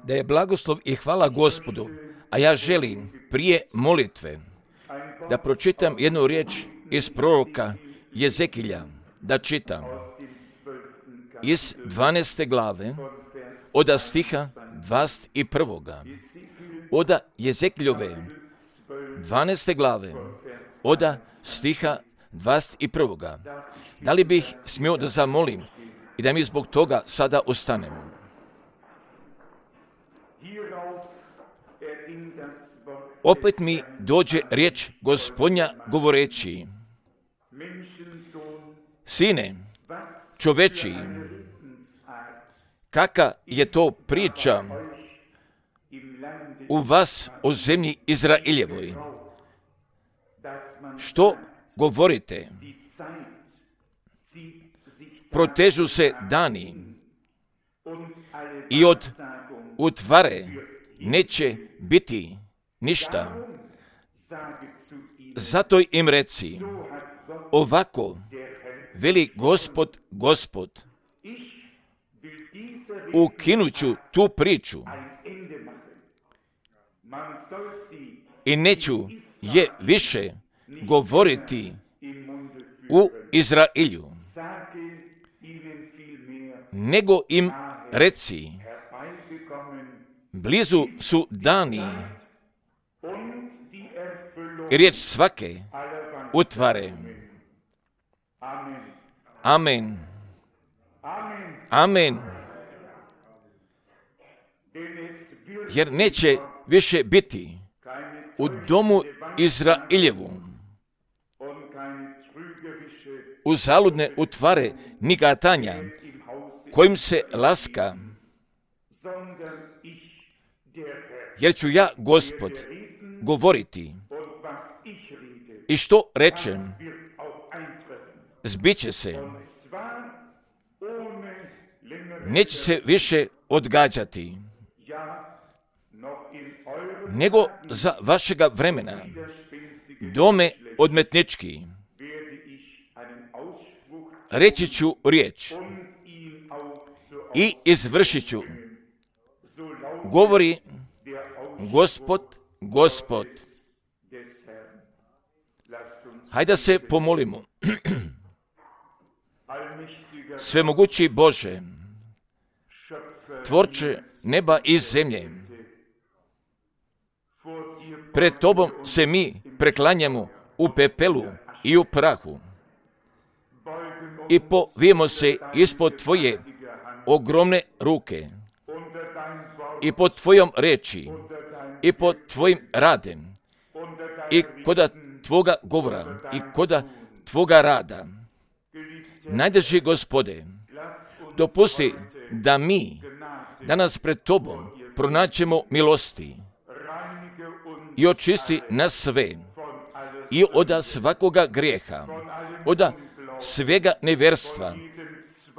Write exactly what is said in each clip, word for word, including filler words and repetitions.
Da je blagoslov i hvala Gospodu, a ja želim prije molitve da pročitam jednu riječ iz proroka Jezekilja, da čitam iz dvanaeste glave, od stiha dvadeset prvoga. Od Jezekiljove dvanaeste glave, od stiha dvadeset prvoga. Da li bih smio da zamolim i da mi zbog toga sada ostanemo? Opet mi dođe riječ Gospodnja govoreći: Sine, čoveči, kaka je to priča u vas o zemlji Izraeljevoj? Što govorite? Protežu se dani i od utvare neće biti ništa. Zato im reci, ovako veli Gospod, Gospod, ukinuću tu priču i neću je više govoriti u Izraelju, nego im reci, blizu su dani i riječ svake utvare. Amen. Amen. Jer neće više biti u domu Izraeljevu uzaludne utvare ni gatanja kojim se laska, jer ću ja, Gospod, govoriti i što rečem, zbiće se, neće se više odgađati, nego za vašega vremena, dome odmetnički, reći ću riječ i izvršit ću, govori Gospod, Gospod. Hajde se pomolimo. Svemogući Bože, tvorče neba i zemlje, pred Tobom se mi preklanjamo u pepelu i u prahu i povijemo se ispod Tvoje ogromne ruke i pod Tvojom reči i pod Tvojim radem i koda Tvoga govora i koda Tvoga rada. Najdraži Gospode, dopusti da mi danas pred Tobom pronaćemo milosti i očisti nas sve i od svakoga grijeha, od svega nevjerstva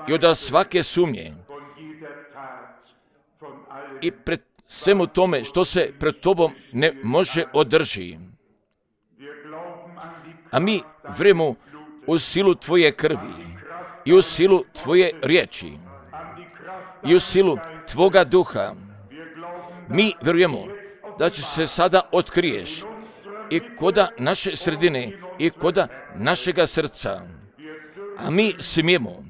i od svake sumnje i pred svemu tome što se pred Tobom ne može održi. A mi vjerujemo u silu Tvoje krvi i u silu Tvoje riječi i u silu Tvoga duha. Mi vjerujemo da će se sada otkriješ i koda naše sredine i koda našega srca. A mi smijemo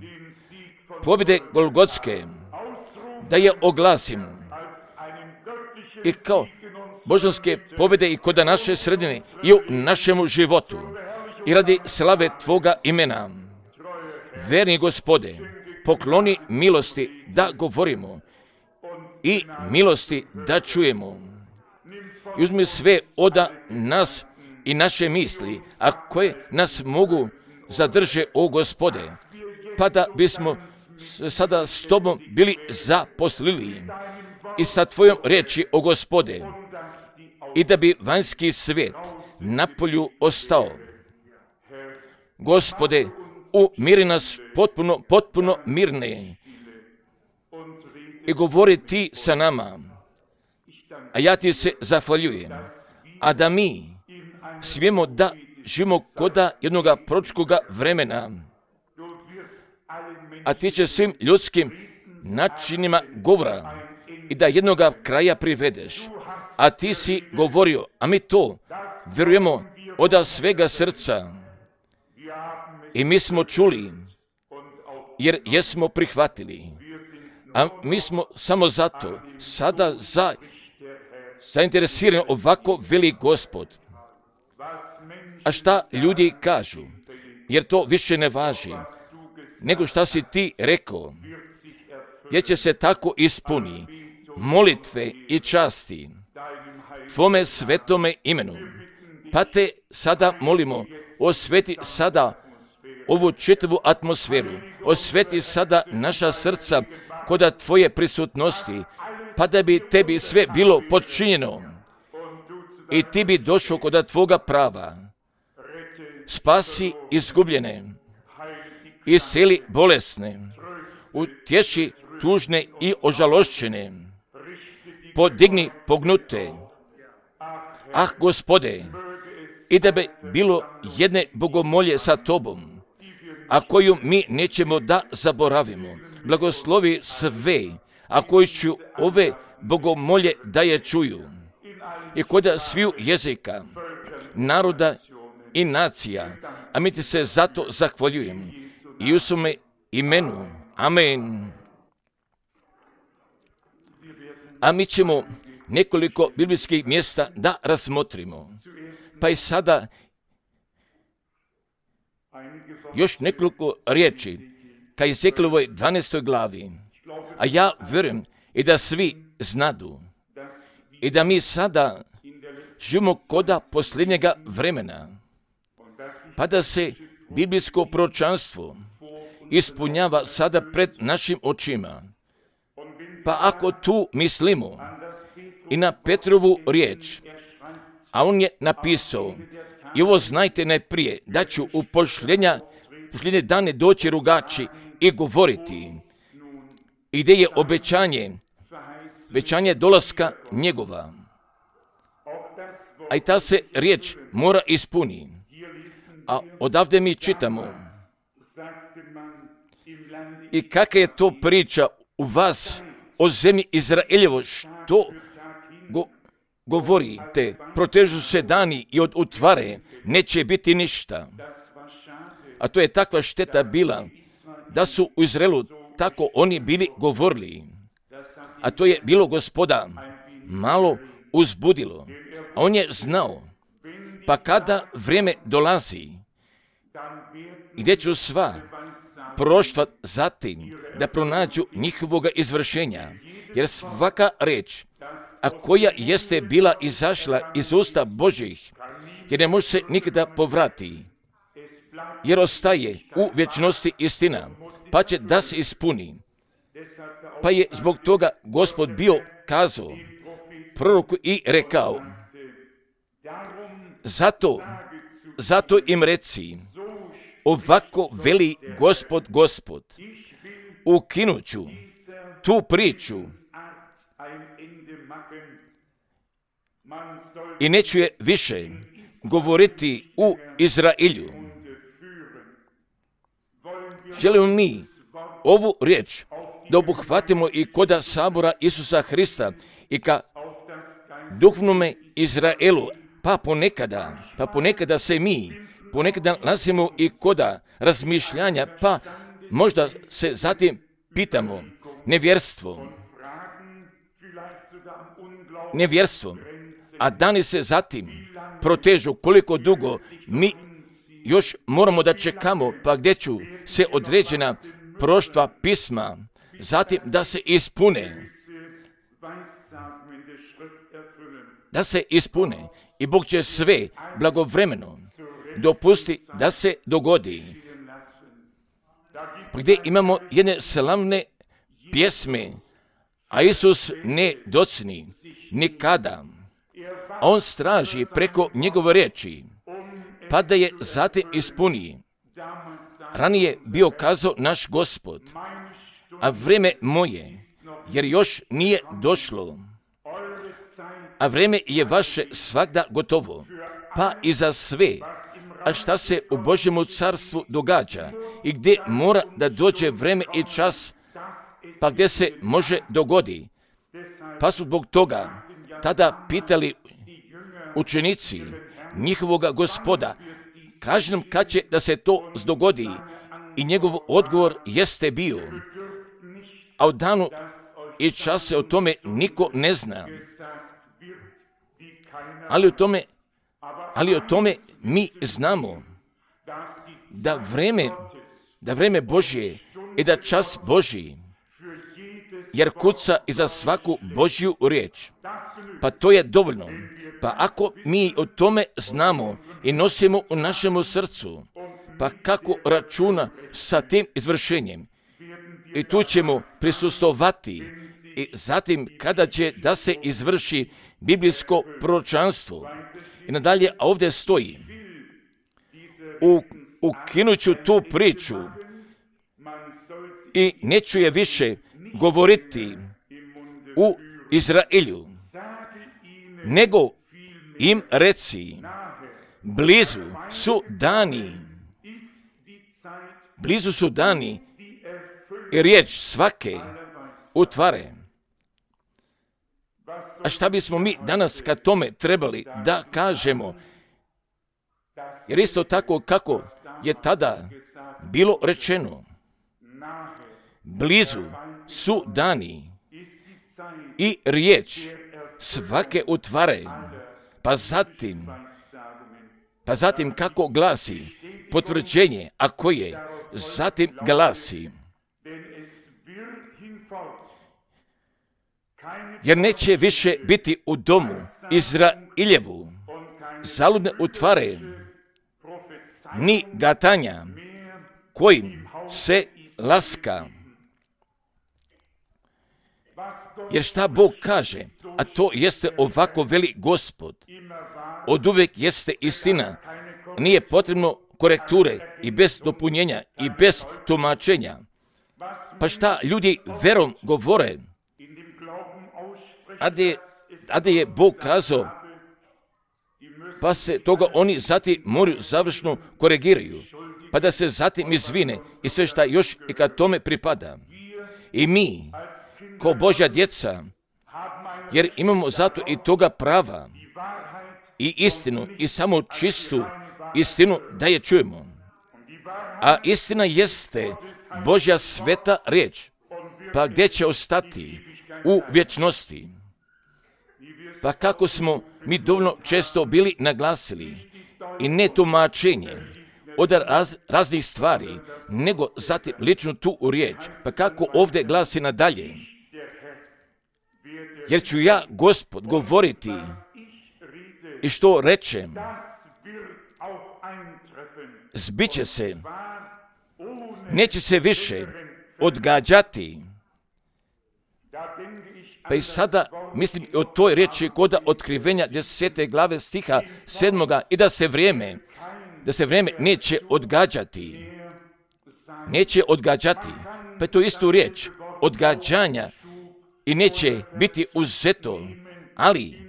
pobjede Golgotske da je oglasimo i kao božanske pobjede i koda naše sredine i u našemu životu i radi slave Tvoga imena. Verni Gospode, pokloni milosti da govorimo i milosti da čujemo. I uzmi sve od nas i naše misli, a koje nas mogu zadrže, o Gospode, pa da bismo sada s Tobom bili zaposlili i sa Tvojom riječi, o Gospode, i da bi vanjski svijet napolju ostao. Gospode, umiri nas potpuno, potpuno mirne i govori Ti sa nama, a ja Ti se zahvaljujem, a da mi smijemo da živimo koda jednoga proročkoga vremena, a Ti će svim ljudskim načinima govora i da jednoga kraja privedeš. A ti si govorio, a mi to vjerujemo od svega srca. I mi smo čuli, jer jesmo prihvatili. A mi smo samo zato sada za, zainteresirani ovako veli Gospod. A šta ljudi kažu? Jer to više ne važi, nego šta si ti rekao, jer će se tako ispuni molitve i časti Tvome svetome imenu. Pa te sada molimo, osveti sada ovu čitavu atmosferu, osveti sada naša srca kod Tvoje prisutnosti, pa da bi Tebi sve bilo podčinjeno i Ti bi došao kod Tvoga prava. Spasi izgubljene, isceli bolesne, utješi tužne i ožalošćene, podigni pognute. Ah, Gospode, i da bi bilo jedne bogomolje sa Tobom, a koju mi nećemo da zaboravimo. Blagoslovi sve, a koji ću ove bogomolje da je čuju. I kod sviju jezika, naroda i nacija, a mi Ti se zato zahvaljujem. I u svome imenu. Amen. A mi ćemo nekoliko biblijskih mjesta da razmotrimo. Pa i sada još nekoliko riječi ka Ezekielovoj dvanaestoj glavi. A ja vjerujem i da svi znadu i da mi sada živimo koda posljednjega vremena, pa da se biblijsko proročanstvo ispunjava sada pred našim očima. Pa ako tu mislimo i na Petrovu riječ, a on je napisao, i ovo znajte najprije, da ću u pošljenja, pošljenje dane doći rugači i govoriti, i gdje je obećanje, obećanje dolaska njegova. A i ta se riječ mora ispuni. A odavde mi čitamo, i kakva je to priča u vas o zemlji Izraeljevo, što go, govorite, protežu se dani i od utvare neće biti ništa. A to je takva šteta bila, da su u Izraelu tako oni bili govorili. A to je bilo Gospoda malo uzbudilo. A on je znao, pa kada vrijeme dolazi, gdje ću sva proštva zatim da pronađu njihovoga izvršenja, jer svaka reč, a koja jeste bila izašla iz usta Božjih, jer ne može se nikada povrati, jer ostaje u vječnosti istina, pa će da se ispuni. Pa je zbog toga Gospod bio kazao proroku i rekao, zato, zato im reci, ovako veli Gospod, Gospod, ukinuću tu priču i neću je više govoriti u Izraelju. Želimo mi ovu riječ da obuhvatimo i koda sabora Isusa Hrista i ka duhovnome Izraelu, pa ponekada, pa ponekada se mi ponekada nalazimo i koda razmišljanja, pa možda se zatim pitamo nevjerstvo, nevjerstvo, a dani se zatim protežu koliko dugo mi još moramo da čekamo, pa gdje ću se određena proštva pisma zatim da se ispune, da se ispune i Bog će sve blagovremeno dopusti da se dogodi. Gdje imamo jedne slavne pjesme, a Isus ne docni nikada, a on straži preko njegove riječi, pa da je zatim ispuni. Ranije bio kazao naš Gospod, a vrijeme moje, jer još nije došlo, a vrijeme je vaše svagda gotovo, pa i za sve. A šta se u Božjemu carstvu događa i gdje mora da dođe vrijeme i čas, pa gdje se može dogodi. Pa su zbog toga tada pitali učenici njihovoga Gospoda, kaži nam kad će da se to dogodi. I njegov odgovor jeste bio, a u danu i čase o tome niko ne zna. Ali o tome, ali o tome mi znamo da vreme, da vreme Božje i da čas Božji, jer kuca i za svaku Božju riječ. Pa to je dovoljno. Pa ako mi o tome znamo i nosimo u našemu srcu, pa kako računa sa tim izvršenjem? I tu ćemo prisustovati i zatim kada će da se izvrši biblijsko proročanstvo. I nadalje, a ovdje stoji, u, ukinuću tu priču i neću je više govoriti u Izraelju, nego im reci, blizu su dani, blizu su dani i riječ svake utvare. A šta bismo mi danas kad tome trebali da kažemo? Jer isto tako kako je tada bilo rečeno, blizu su dani i riječ svake utvare. Pa zatim, pa zatim kako glasi potvrđenje, a koje zatim glasi, jer neće više biti u domu Izraeljevu zaludne utvare, ni gatanja kojim se laska. Jer šta Bog kaže, a to jeste ovako veli Gospod, od uvijek jeste istina, nije potrebno korekture i bez dopunjenja i bez tumačenja. Pa šta ljudi verom govore, a de, a de je Bog kazao, pa se toga oni zatim moraju završno korigiraju, pa da se zatim izvine i sve šta još i kad tome pripada. I mi, ko Božja djeca, jer imamo zato i toga prava i istinu i samo čistu istinu da je čujemo. A istina jeste Božja sveta riječ, pa gdje će ostati u vječnosti. Pa kako smo mi dovoljno često bili naglasili i ne tumačenje od raz, raznih stvari, nego zatim ličnu tu u riječ. Pa kako ovdje glasi nadalje, jer ću ja, Gospod, govoriti i što rečem, zbiće se, neće se više odgađati. Pa i sada mislim o toj riječi koda otkrivenja desete glave stiha sedmoga i da se vrijeme, da se vrijeme neće odgađati. Neće odgađati. Pa je to istu riječ, odgađanja i neće biti uzeto, ali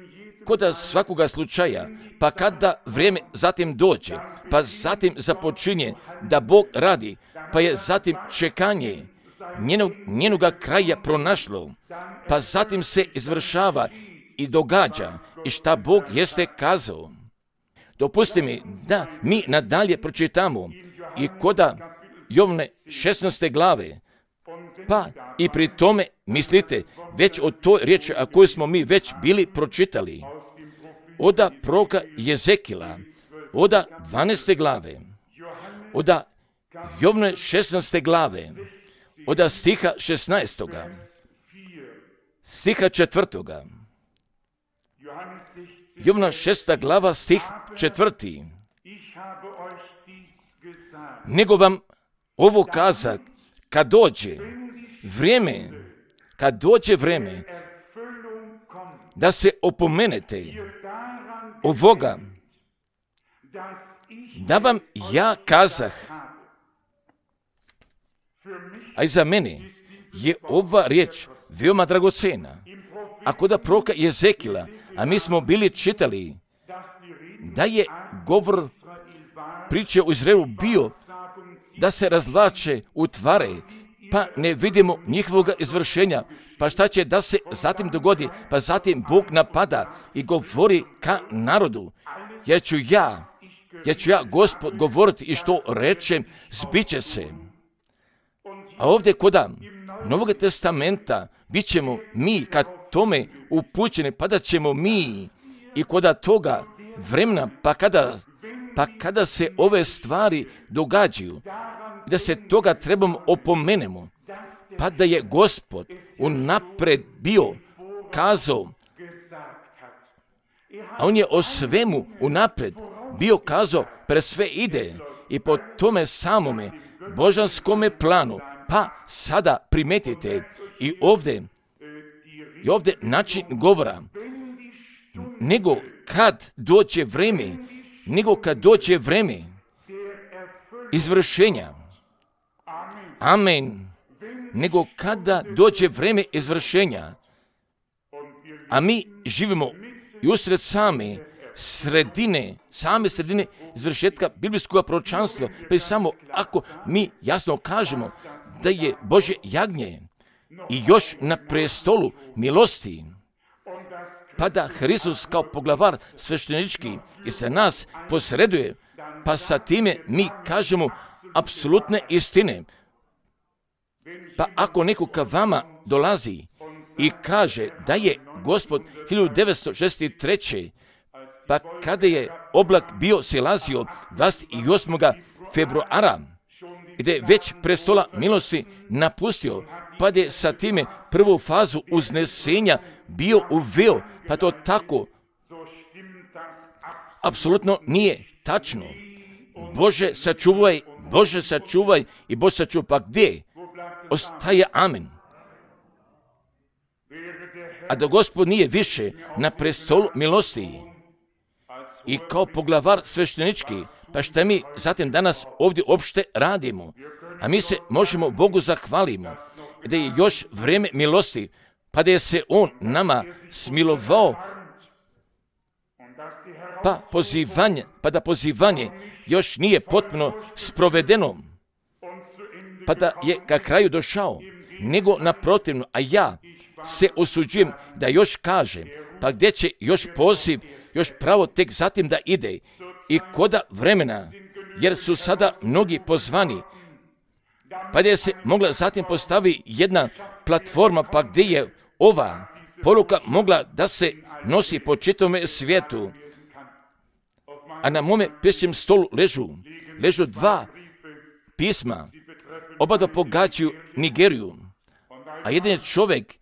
koda svakoga slučaja, pa kada vrijeme zatim dođe, pa zatim započinje da Bog radi, pa je zatim čekanje njenog, njenoga kraja pronašlo, pa zatim se izvršava i događa i šta Bog jeste kazao. Dopusti mi da mi nadalje pročitamo i koda Jovne šesnaeste glave, pa i pri tome mislite već o toj riječi, a koju smo mi već bili pročitali, oda proroka Jezekila, oda dvanaeste glave, oda Jovne šesnaeste glave, oda stiha šesnaestoga, stiha četvrtoga, Jovna šesta glava, stih četvrti. Nego vam ovo kazak, kad dođe vrijeme, kad dođe vrijeme da se opomenete ovoga, da vam ja kazah, a i za mene je ova riječ veoma dragocena. Ako da proroka Jezekila, a mi smo bili čitali da je govor priče o Izraelu bio da se razvlače utvare pa ne vidimo njihovog izvršenja. Pa šta će da se zatim dogodi? Pa zatim Bog napada i govori ka narodu. Jer ću ja, jer ću ja, Gospod, govoriti i što rečem, zbit će se. A ovdje koda Novog testamenta bit ćemo mi kad tome upućeni, pa da ćemo mi i koda toga vremena, pa kada, pa kada se ove stvari događaju, da se toga trebamo opomenemo, pa da je Gospod unapred bio kazao, a on je o svemu unapred bio kazao, pre sve ide i po tome samome božanskome planu. Pa sada primetite i ovdje, i ovdje način govora, nego kad dođe vreme, nego kad dođe vreme izvršenja. Amen. Nego kada dođe vreme izvršenja, a mi živimo i usred same sredine, same sredine izvršetka biblijskog proročanstva, pa i samo ako mi jasno kažemo da je Božje jagnje i još na prestolu milosti, pa da Hristos kao poglavar sveštenički i sa nas posreduje, pa sa time mi kažemo apsolutne istine. Pa ako neko ka vama dolazi i kaže da je Gospod hiljadu devetsto šezdeset treće pa kada je oblak bio silazio dvadeset osmog februara, gdje je već prestola milosti napustio, pa je sa time prvu fazu uznesenja bio uveo, pa to tako apsolutno nije tačno. Bože sačuvaj, Bože sačuvaj i Bože sačuvaj, pa gdje ostaje amen? A da Gospod nije više na prestolu milosti i kao poglavar sveštenički, pa šta mi zatim danas ovdje opšte radimo? A mi se možemo Bogu zahvalimo da je još vrijeme milosti, pa da je se On nama smilovao, pa pozivanje, pa da pozivanje još nije potpuno sprovedeno, pa da je ka kraju došao, nego naprotivno, a ja se osuđujem da još kažem, pa gdje će još poziv, još pravo tek zatim da ide i koda vremena, jer su sada mnogi pozvani, pa gdje se mogla zatim postavi jedna platforma, pa gdje je ova poruka mogla da se nosi po čitavome svijetu. A na mome pismenom stolu ležu, ležu dva pisma, oba da pogađaju Nigeriju, a jedan je čovjek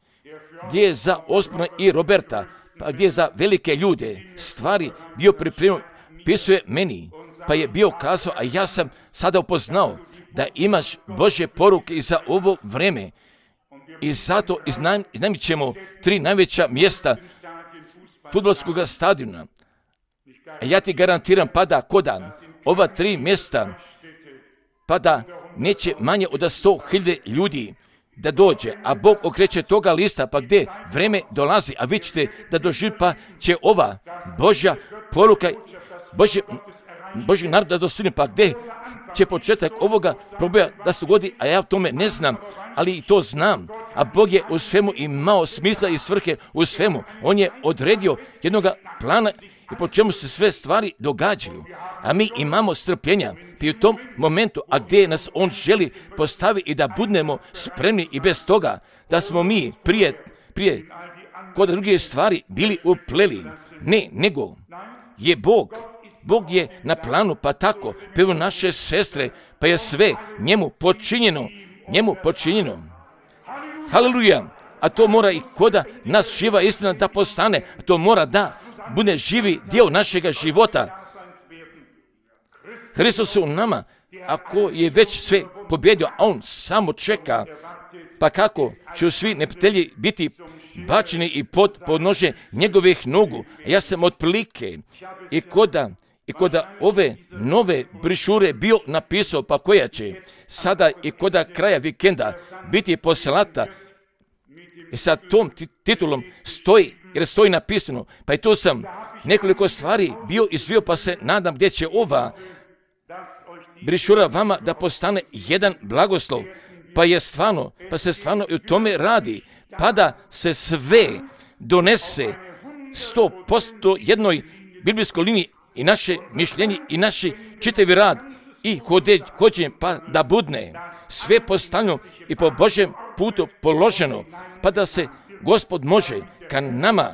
gdje je za Osborna i Roberta, pa gdje je za velike ljude stvari bio pripremljen, pisuje meni, pa je bio kazao, a ja sam sada upoznao da imaš Božje poruke i za ovo vreme. I zato iznajmit ćemo tri najveća mjesta fudbalskog stadiona. A ja ti garantiram, pa da koda ova tri mjesta, pa da neće manje od sto hiljada ljudi da dođe, a Bog okreće toga lista, pa gdje vreme dolazi, a vi ćete da doživi, pa će ova Božja poruka, Božje, Božji narod da dostigne, pa gdje će početak ovoga proboja da se dogodi, a ja o tome ne znam, ali i to znam, a Bog je u svemu imao smisla i svrhe u svemu. On je odredio jednog plana i po čemu se sve stvari događaju, a mi imamo strpljenja i u tom momentu, a gdje nas On želi postavi i da budemo spremni i bez toga, da smo mi prije, prije kod druge stvari bili upleli. Ne, nego je Bog, Bog je na planu, pa tako, prvo naše sestre, pa je sve njemu počinjeno, njemu počinjeno. Haleluja! A to mora i koda nas živa istina da postane, a to mora da bude živi dio našega života. Hristos u nama, ako je već sve pobjedio, a On samo čeka, pa kako će svi neprijatelji biti bačeni i pod podnožje njegovih nogu. Ja sam otprilike i koda, i koda ove nove brišure bio napisao, pa koja će sada i koda kraja vikenda biti poslata, i sa tom titulom stoji, jer stoji napisano, pa i tu sam nekoliko stvari bio izvio, pa se nadam gdje će ova brišura vama da postane jedan blagoslov, pa je stvarno, pa se stvarno i u tome radi, pa da se sve donese sto posto jednoj biblijskoj liniji i naše mišljenje i naši čitavi rad i hođenje, pa da budne sve postavljeno i po Božjem putu položeno, pa da se Gospod može ka nama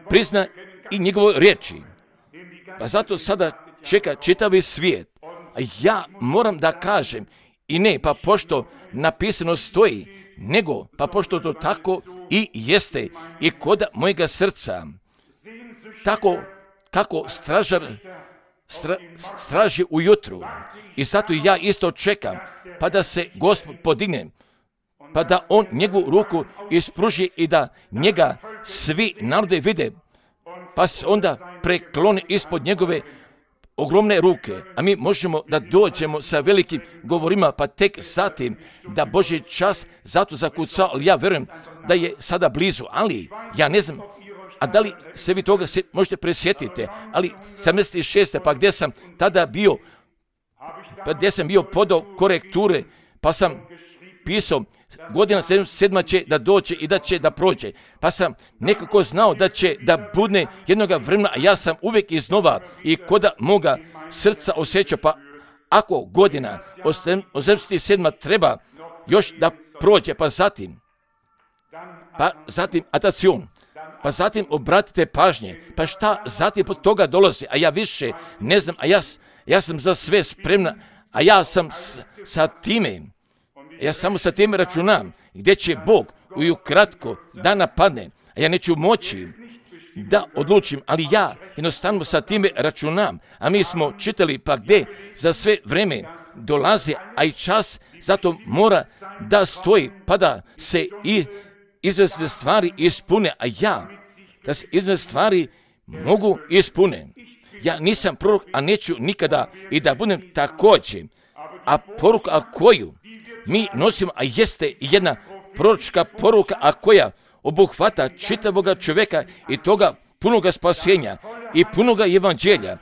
prizna i njegove riječi. Pa zato sada čeka čitavi svijet. A ja moram da kažem, i ne pa pošto napisano stoji, nego pa pošto to tako i jeste i kod mojega srca, tako kako stražar stra, straži ujutru. I zato ja isto čekam, pa da se Gospod podigne, pa da on njegovu ruku ispruži i da njega svi narode vide, pa se onda preklone ispod njegove ogromne ruke, a mi možemo da dođemo sa velikim govorima, pa tek zatim da Božji čas zato zakucao, ali ja verujem da je sada blizu, ali ja ne znam, a da li se vi toga se možete presjetiti, ali sedamdeset šeste pa gdje sam tada bio, pa gdje sam bio podao korekture, pa sam pisao, godina sedma će da dođe i da će da prođe. Pa sam nekako znao da će da budne jednoga vremena, a ja sam uvijek iznova i koda moga srca osjećao, pa ako godina osamdeset sedma treba još da prođe, pa zatim, pa zatim atacion, pa zatim obratite pažnje, pa šta zatim pod toga dolazi, a ja više ne znam, a ja, ja sam za sve spremna, a ja sam s, sa time, ja samo sa time računam, gdje će Bog u kratko da napadne, a ja neću moći da odlučim, ali ja jednostavno sa time računam, a mi smo čitali pa gdje za sve vreme dolazi, a i čas zato mora da stoji, pa da se i izvesne stvari ispune, a ja da se izvesne stvari mogu ispune. Ja nisam prorok, a neću nikada i da budem također, a poruka a koju mi nosimo, a jeste jedna proročka poruka, a koja obuhvata čitavoga čovjeka i toga punoga spasenja i punoga evanđelja.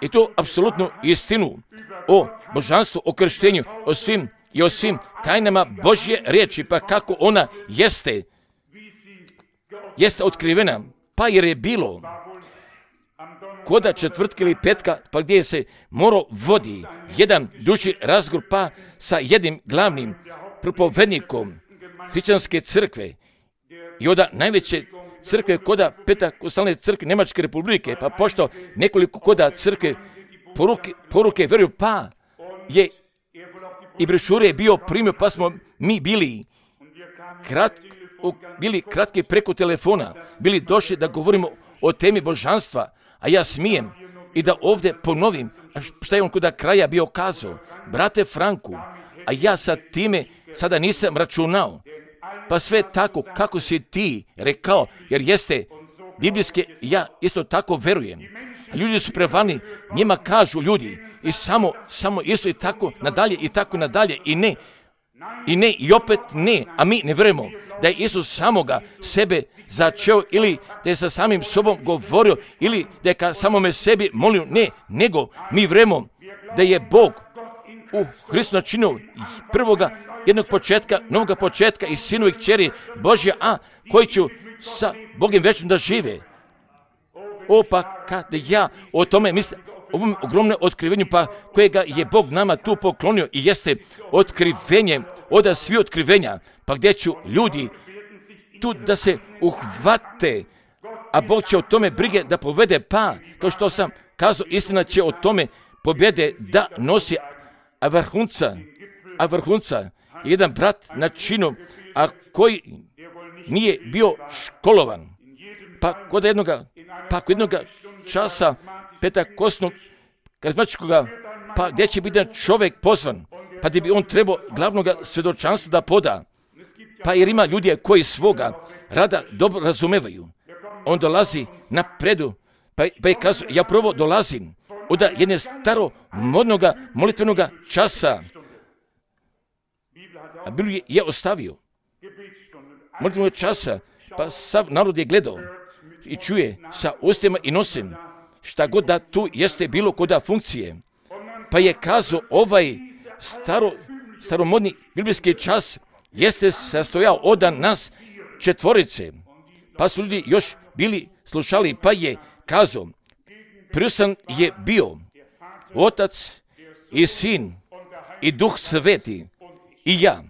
I to apsolutno istinu o božanstvu, o krštenju, o svim i o svim tajnama Božje riječi, pa kako ona jeste, jeste otkrivena, pa jer je bilo koda četvrtka ili petka, pa gdje se morao vodi jedan duži razgovor, pa sa jednim glavnim propovednikom hrišćanske crkve i onda najveće crkve koda Pentekostalne crkve Njemačke republike, pa pošto nekoliko koda crkve poruke, poruke veruju, pa je i brošure je bio primio, pa smo mi bili krat, bili kratki preko telefona, bili došli da govorimo o temi božanstva, a ja smijem i da ovdje ponovim šta je on kod kraja bio kazao, brate Franku, a ja sa time sada nisam računao, pa sve tako kako si ti rekao, jer jeste biblijske, ja isto tako verujem. A ljudi su prevani, njima kažu ljudi i samo, samo isto i tako nadalje i tako nadalje i ne, i ne i opet ne, a mi ne vjerujemo da je Isus samoga sebe začeo ili da je sa samim sobom govorio ili da je ka samome sebi molio, ne, nego mi vjerujemo da je Bog u Hristu načinio prvoga jednog početka, novoga početka i sinu i kćeri Božja, a koji ću sa Bogom večnim da žive. O, pa kada ja o tome mislim, ovom ogromnom otkrivenju, pa kojega je Bog nama tu poklonio i jeste otkrivenje, oda svi otkrivenja, pa gdje ću ljudi tu da se uhvate, a Bog će o tome brige da povede, pa, kao što sam kazao, istina će o tome pobjede da nosi, a vrhunca, a vrhunca, jedan brat na činu, a koji nije bio školovan, pa kod jednoga, pa kod jednoga časa Pentekostnog karizmatičkoga, pa gdje će biti čovjek pozvan, pa gdje bi on trebao glavnog svjedočanstva da poda, pa jer ima ljudi koji svoga rada dobro razumevaju. On dolazi na predu, pa, pa je kazao, ja prvo dolazim od jedne staro modnoga molitvenoga časa, a Bibliju je ostavio molitvenog časa, pa sav narod je gledao i čuje sa ustima i nosim šta god da tu jeste bilo koda funkcije. Pa je kazao ovaj staro, staromodni biblijski čas jeste sastojao od nas četvorice, pa su ljudi još bili slušali, pa je kazao, prisutan je bio Otac i Sin i Duh Sveti i ja.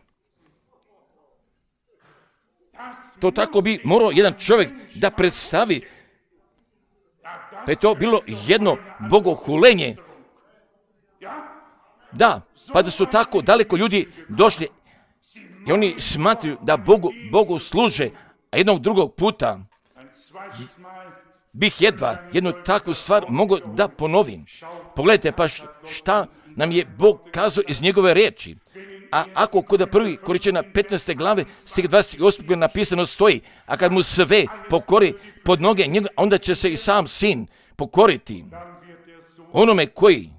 To tako bi morao jedan čovjek da predstavi, pa je to bilo jedno bogohulenje. Da, pa da su tako daleko ljudi došli i oni smatruju da Bogu, Bogu služe, a jednog drugog puta bih jedva jednu takvu stvar mogao da ponovim. Pogledajte pa šta nam je Bog kazao iz njegove riječi. A ako kod prvi Korinćana petnaeste glave stih dvadeset osam napisano stoji, a kad mu sve pokori pod noge njega, onda će se i sam Sin pokoriti onome koji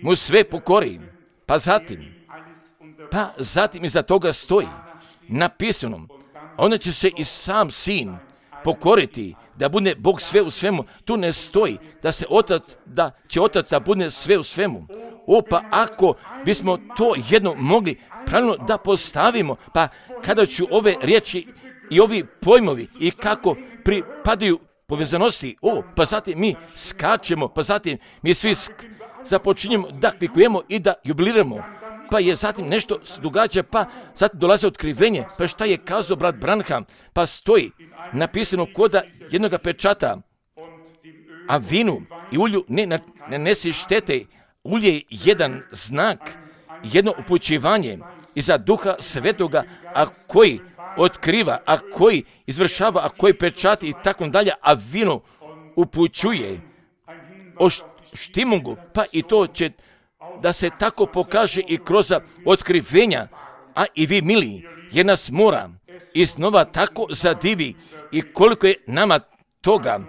mu sve pokori. Pa zatim, pa zatim iza toga stoji napisano, onda će se i sam Sin pokoriti, da bude Bog sve u svemu. Tu ne stoji da se otac, da će Otac da bude sve u svemu. O, pa ako bismo to jedno mogli pravilno da postavimo, pa kada ću ove riječi i ovi pojmovi i kako pripadaju povezanosti, o, pa zatim mi skačemo, pa zatim mi svi sk- započinjemo da klikujemo i da jubiliramo, pa je zatim nešto događa, pa zatim dolaze otkrivenje, pa šta je kazao brat Branham, pa stoji napisano koda jednog pečata, a vinu i ulju ne, ne, ne nesi štete. Ulje je jedan znak, jedno upućivanje iza Duha Svetoga, a koji otkriva, a koji izvršava, a koji pečati i tako dalje, a vino upućuje o štimungu, pa i to će da se tako pokaže i kroz otkrivenja, a i vi mili, jer nas mora iznova tako zadivi i koliko je nama toga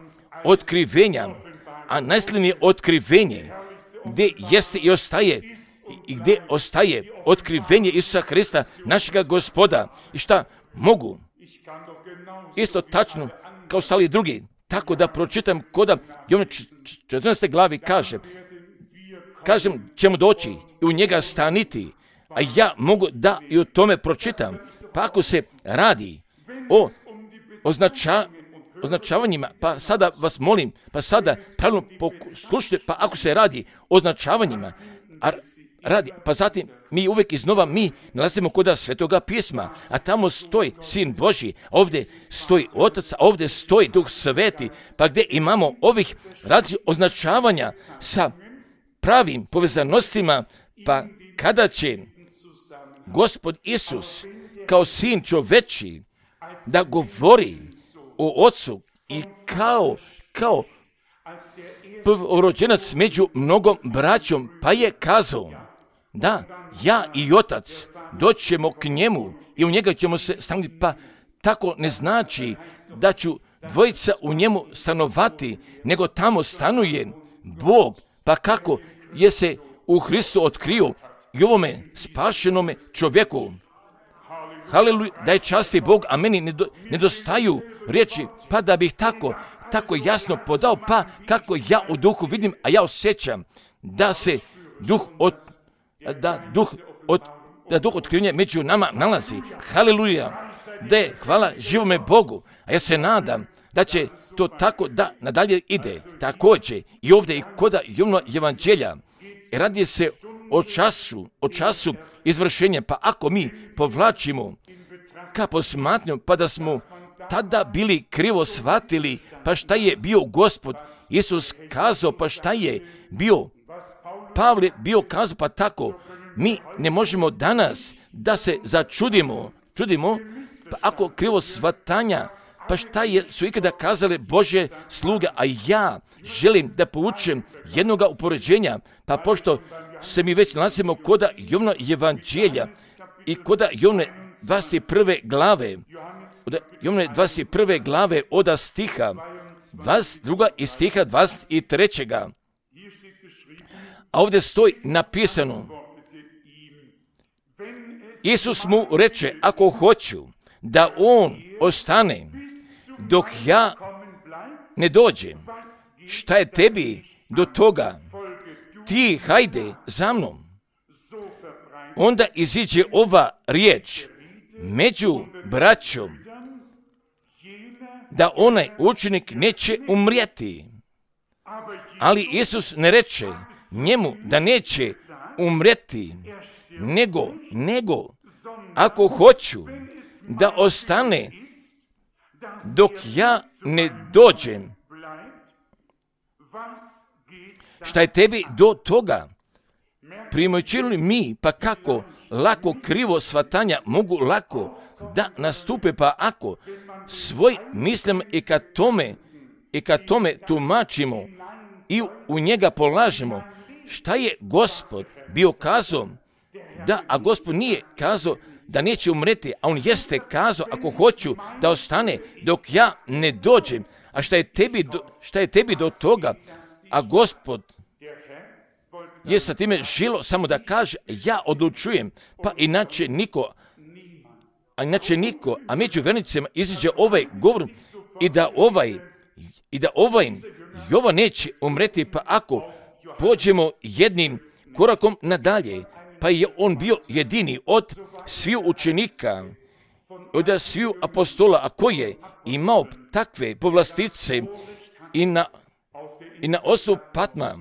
otkrivenja, a najslavnije otkrivenje gdje jeste i ostaje i gdje ostaje otkrivenje Isusa Hrista, našega Gospoda. I šta mogu? Isto tačno kao stali drugi. Tako da pročitam koda Jovana četrnaeste glavi kaže, kažem ćemo doći i u njega staniti, a ja mogu da i o tome pročitam. Pa ako se radi o označa, označavanjima, pa sada vas molim, pa sada pravilno poslušajte, pa ako se radi o označavanjima, a radi, pa zatim mi uvijek iznova mi nalazimo koda Svetoga pisma, a tamo stoji Sin Božji, ovdje stoji Otac, a ovdje stoji Duh Sveti, pa gdje imamo ovih različitih označavanja sa pravim povezanostima, pa kada će Gospod Isus kao Sin čoveči da govori o Otcu i kao, kao prvorođenac među mnogom braćom, pa je kazao, da, ja i Otac doćemo k njemu i u njega ćemo se stanovati, pa tako ne znači da ću dvojica u njemu stanovati, nego tamo stanuje Bog, pa kako je se u Hristu otkrio i ovome spašenome čovjeku. Haleluja, daj časti Bog, a meni nedostaju riječi, pa da bih tako, tako jasno podao, pa kako ja u duhu vidim, a ja osjećam da se duh od, da duh od, da duh otkrivenja među nama nalazi. Haleluja, da je hvala živome Bogu, a ja se nadam da će to tako da nadalje ide. Također i ovdje i koda Jovnova evanđelja radi se o času, o času izvršenja, pa ako mi povlačimo ka posmatnju, pa da smo tada bili krivo shvatili, pa šta je bio Gospod Isus kazao, pa šta je bio Pavle bio kazao, pa tako mi ne možemo danas da se začudimo, čudimo, pa ako krivo shvatanja, pa šta je, su ikada kazale Božje sluge, a ja želim da poučem jednoga upoređenja, pa pošto se mi već nalazimo koda Jovnova evanđelja i koda Jovne dvadeset prve glave, od Jovne dvadeset prve glave oda stiha dvadeset dva i stiha dvadeset tri. A ovdje stoji napisano, Isus mu reče, ako hoću da on ostane dok ja ne dođem, šta je tebi do toga? Ti hajde za mnom. onda iziđe ova riječ među braćom, da onaj učenik neće umrijeti. Ali Isus ne reče njemu da neće umrijeti, nego, nego, ako hoću da ostane dok ja ne dođem, šta je tebi do toga? Primoćili mi, pa kako lako krivo shvatanja mogu lako da nastupe, pa ako svoj mislim i kad tome, i kad tome tumačimo i u njega polažemo, šta je Gospod bio kazao? Da, a Gospod nije kazao da neće umreti, a on jeste kazao ako hoću da ostane dok ja ne dođem. A šta je tebi do, šta je tebi do toga? A Gospod je sa time žilo samo da kaže ja odlučujem, pa inače niko, a inače niko, a među vernicima iziđe ovaj govor i da ovaj, i da ovaj Jovan neće umreti, pa ako pođemo jednim korakom nadalje, pa je on bio jedini od sviju učenika, od sviju apostola, a koji je imao takve povlastice i na, i na osnovu Patma,